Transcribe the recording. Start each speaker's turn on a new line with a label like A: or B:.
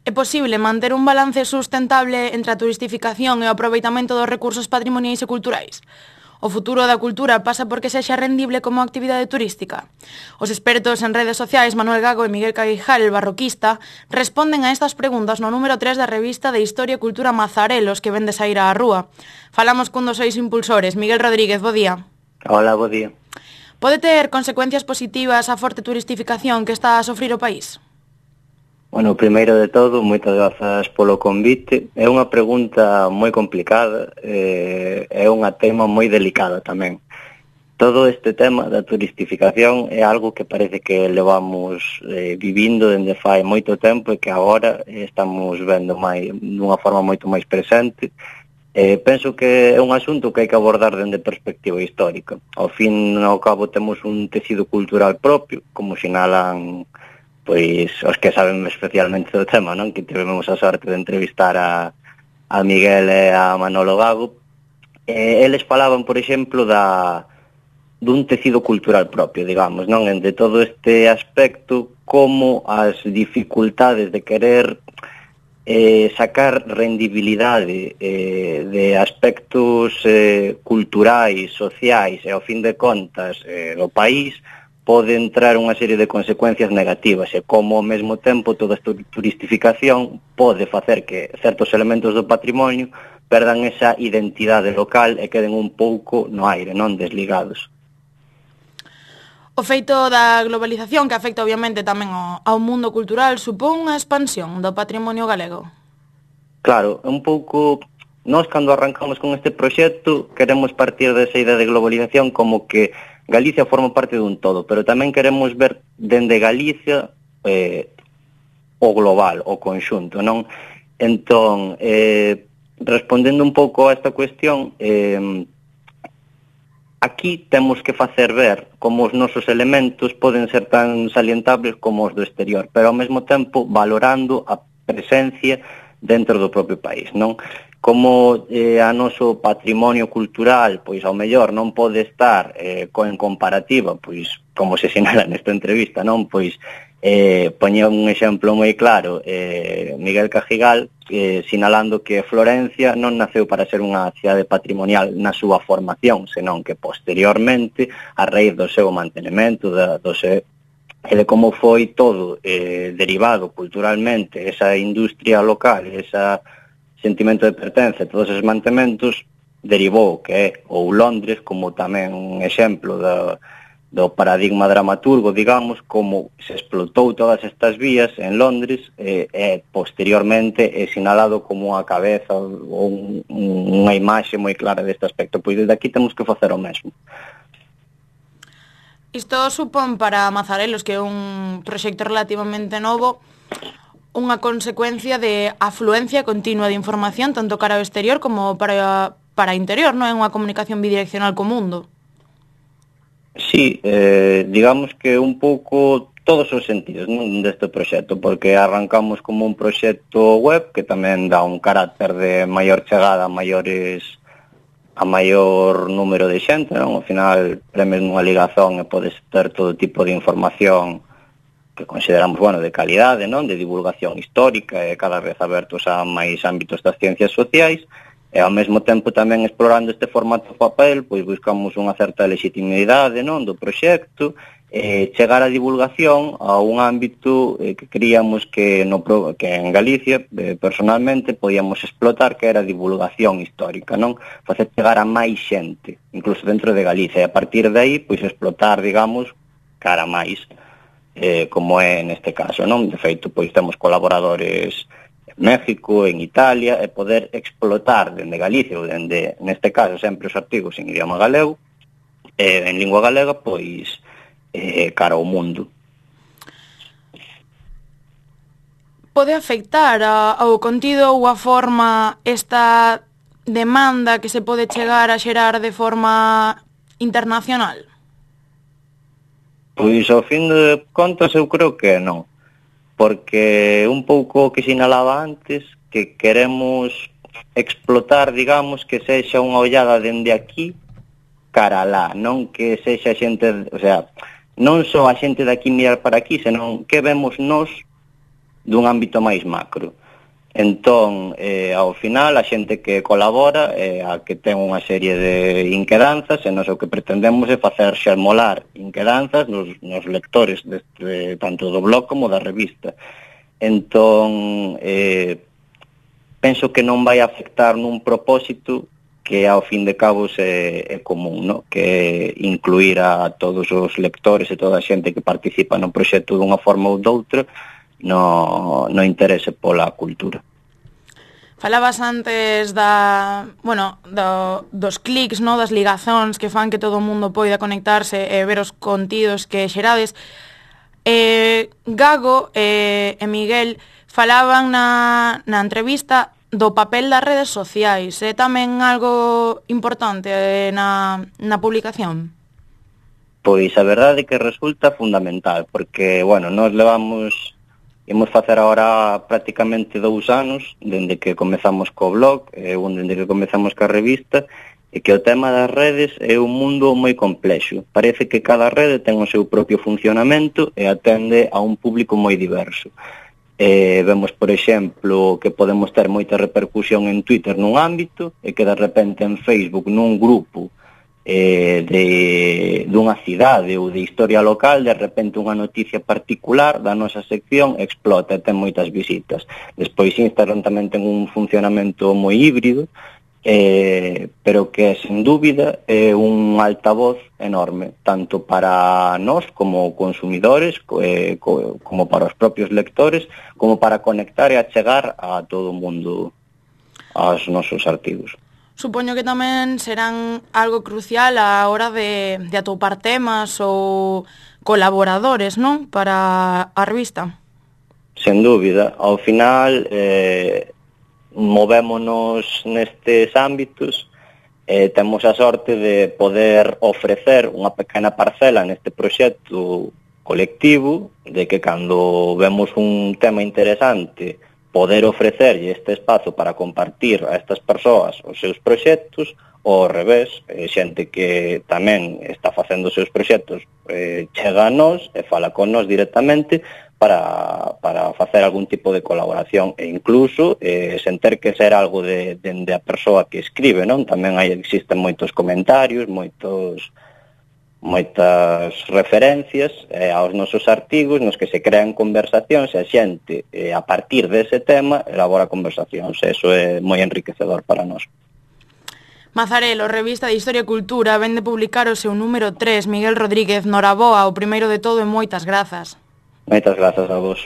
A: É posible manter un balance sustentable entre a turistificación e o aproveitamento dos recursos patrimoniais e culturais? O futuro da cultura pasa porque sexa rendible como actividade turística? Os expertos en redes sociais Manuel Gago e Miguel Caguijal, el barroquista, responden a estas preguntas no número 3 da revista de Historia e Cultura Mazarelos, que vende saír á rúa. Falamos cun dos seis impulsores, Miguel Rodríguez, bo día.
B: Hola, bo día.
A: Pode ter consecuencias positivas a forte turistificación que está a sofrir o país?
B: Bueno, primeiro de todo, moitas grazas polo convite. É unha pregunta moi complicada, é unha tema moi delicada tamén. Todo este tema da turistificación é algo que parece que levamos vivindo dende fai moito tempo e que agora estamos vendo dunha forma moito máis presente. Penso que é un asunto que hai que abordar dende perspectiva histórica. Ao fin e ao cabo temos un tecido cultural propio, como sinalan pois os que saben especialmente do tema, non? Que tivemos a sorte de entrevistar a Miguel e a Manolo Gago. Eles falaban, por exemplo, dun tecido cultural propio, digamos, non? De todo este aspecto, como as dificultades de querer sacar rendibilidade de aspectos culturais, sociais e, ao fin de contas, do país, pode entrar unha serie de consecuencias negativas e como ao mesmo tempo toda esta turistificación pode facer que certos elementos do patrimonio perdan esa identidade local e queden un pouco no aire, non desligados.
A: O feito da globalización, que afecta obviamente tamén ao mundo cultural, supón unha expansión do patrimonio galego?
B: Claro, un pouco. Nós, cando arrancamos con este proxecto, queremos partir desa idea de globalización como que Galicia forma parte dun todo, pero tamén queremos ver dende Galicia o global, o conxunto, non? Entón, respondendo un pouco a esta cuestión, aquí temos que facer ver como os nosos elementos poden ser tan salientables como os do exterior, pero ao mesmo tempo valorando a presencia dentro do propio país, non? Como a noso patrimonio cultural, pois ao mellor non pode estar en comparativa, pois como se sinala nesta entrevista, non? Pois poñía un exemplo moi claro, Miguel Cajigal, sinalando que Florencia non naceu para ser unha cidade patrimonial na súa formación, senón que posteriormente, a raíz do seu mantenimento, e de como foi todo derivado culturalmente, esa industria local, esa sentimento de pertenza, todos esos mantementos, derivou que é ou Londres como tamén un exemplo do paradigma dramaturgo, digamos, como se explotou todas estas vías en Londres e posteriormente é sinalado como a cabeza ou unha imaxe moi clara deste aspecto. Pois desde aquí temos que facer o mesmo.
A: Isto supón para Mazarelos, que é un proxecto relativamente novo, unha consecuencia de afluencia continua de información tanto cara ao exterior como para o interior, non é unha comunicación bidireccional co mundo?
B: Sí, digamos que un pouco todos os sentidos, non, deste proxecto, porque arrancamos como un proxecto web que tamén dá un carácter de maior chegada a maior número de xente, non? Ao final premes nunha ligazón e podes ter todo tipo de información que consideramos, bueno, de calidade, non? De divulgación histórica e cada vez abertos a máis ámbitos das ciencias sociais e ao mesmo tempo tamén explorando este formato papel, pois buscamos unha certa legitimidade, non? Do proxecto chegar a divulgación a un ámbito que creíamos que en Galicia, personalmente, podíamos explotar, que era a divulgación histórica, non? Facer chegar a máis xente, incluso dentro de Galicia, e a partir de aí, pois explotar, digamos, cara máis, como é neste caso, non? De feito, pois temos colaboradores en México, en Italia, e poder explotar dende Galicia, ou dende, neste caso, sempre os artigos en idioma galego, en lingua galega, pois cara ao mundo.
A: Pode afectar ao contido ou a forma esta demanda que se pode chegar a xerar de forma internacional?
B: Pois, ao fin de contas, eu creo que non. Porque un pouco o que sinalaba antes, que queremos explotar, digamos, que sexa unha ollada dende aquí cara alá, non que sexa xente, o sea, non só a xente de aquí mirar para aquí, senón que vemos nós dun ámbito máis macro. Entón, ao final, a xente que colabora a que ten unha serie de inquedanzas, e nos o que pretendemos é facer xermolar inquedanzas nos lectores tanto do blog como da revista. Entón, penso que non vai afectar nun propósito que ao fin de cabos é común, no? Que incluir a todos os lectores e toda a xente que participa no proxecto dunha forma ou doutra no interese pola cultura.
A: Falabas antes dos clics, no? Das ligazóns que fan que todo o mundo poida conectarse e ver os contidos que xerades. Gago e Miguel falaban na entrevista do papel das redes sociais. É tamén algo importante na publicación?
B: Pois a verdade é que resulta fundamental, porque, nós imos facer agora prácticamente 2 anos, dende que comezamos co blog, dende que comezamos ca revista, e que o tema das redes é un mundo moi complexo. Parece que cada rede ten o seu propio funcionamento e atende a un público moi diverso. Vemos, por exemplo, que podemos ter moita repercusión en Twitter nun ámbito e que de repente en Facebook nun grupo dunha cidade ou de historia local, de repente unha noticia particular da nosa sección explota e ten moitas visitas. Despois Instagram tamén ten un funcionamento moi híbrido, pero que sen dúbida é un altavoz enorme, tanto para nós como consumidores, como para os propios lectores, como para conectar e achegar a todo o mundo aos nosos artigos.
A: Supoño que tamén serán algo crucial á hora de atopar temas ou colaboradores, non? Para a revista.
B: Sen dúbida. Ao final, movémonos nestes ámbitos, temos a sorte de poder ofrecer unha pequena parcela neste proxecto colectivo, de que cando vemos un tema interesante, poder ofrecerlle este espazo para compartir a estas persoas os seus proxectos, ou ao revés, xente que tamén está facendo os seus proxectos chega a nós e fala con nós directamente para facer algún tipo de colaboración, e incluso sen ter que ser algo dende a persoa que escribe, non? Tamén existen moitos comentarios, moitas referencias aos nosos artigos nos que se crean conversacións e a xente, a partir dese tema, elabora conversacións. Eso é moi enriquecedor para nós.
A: Mazarelo, revista de Historia e Cultura, vende publicar o seu número 3, Miguel Rodríguez, noraboa, o primeiro de todo e moitas grazas.
B: Moitas grazas a vos.